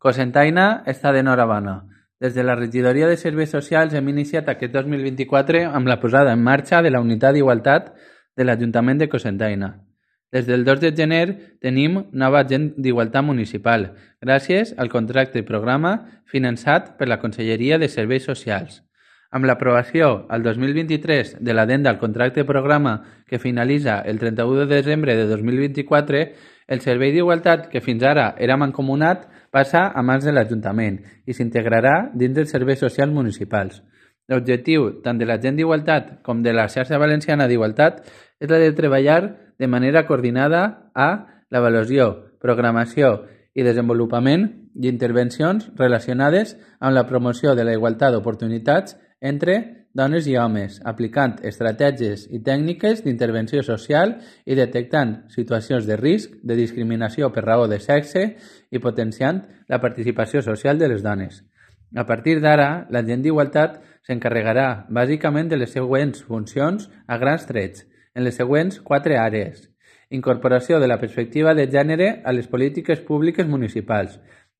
Cocentaina està d'enhorabona. Des de la Regidoria de Serveis Socials hem iniciat aquest 2024 amb la posada en marxa de la Unitat d'Igualtat de l'Ajuntament de Cocentaina. Des del 2 de gener tenim nova agent d'Igualtat Municipal, gràcies al contracte programa finançat per la Conselleria de Serveis Socials. Amb l'aprovació al 2023 de l'addenda al contracte programa que finalitza el 31 de desembre de 2024, el Servei d'Igualtat, que fins ara era mancomunat, passa a mans de l'Ajuntament i s'integrarà dins dels serveis socials municipals. L'objectiu tant de l'agent d'Igualtat com de la xarxa valenciana d'Igualtat és la de treballar de manera coordinada a l'avaluació, programació i desenvolupament d'intervencions relacionades amb la promoció de la igualtat d'oportunitats entre dones i homes, aplicant estratègies i tècniques d'intervenció social i detectant situacions de risc de discriminació per raó de sexe i potenciant la participació social de les dones. A partir d'ara, l'agent d'Igualtat s'encarregarà bàsicament de les següents funcions a grans trets, en les següents 4 àrees. Incorporació de la perspectiva de gènere a les polítiques públiques municipals,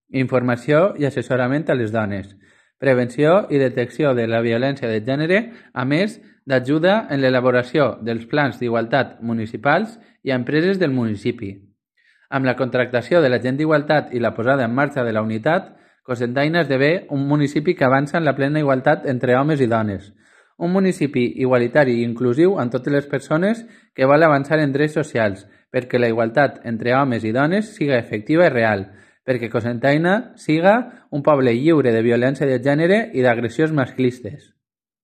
informació i assessorament a les dones, prevenció i detecció de la violència de gènere, a més d'ajuda en l'elaboració dels plans d'igualtat municipals i a empreses del municipi. Amb la contractació de l'agent d'Igualtat i la posada en marxa de la unitat, Cocentaina esdevé un municipi que avança en la plena igualtat entre homes i dones. Un municipi igualitari i inclusiu amb totes les persones que vol avançar en drets socials, perquè la igualtat entre homes i dones siga efectiva i real, perquè Cocentaina siga un poble lliure de violència de gènere i d'agressions masclistes.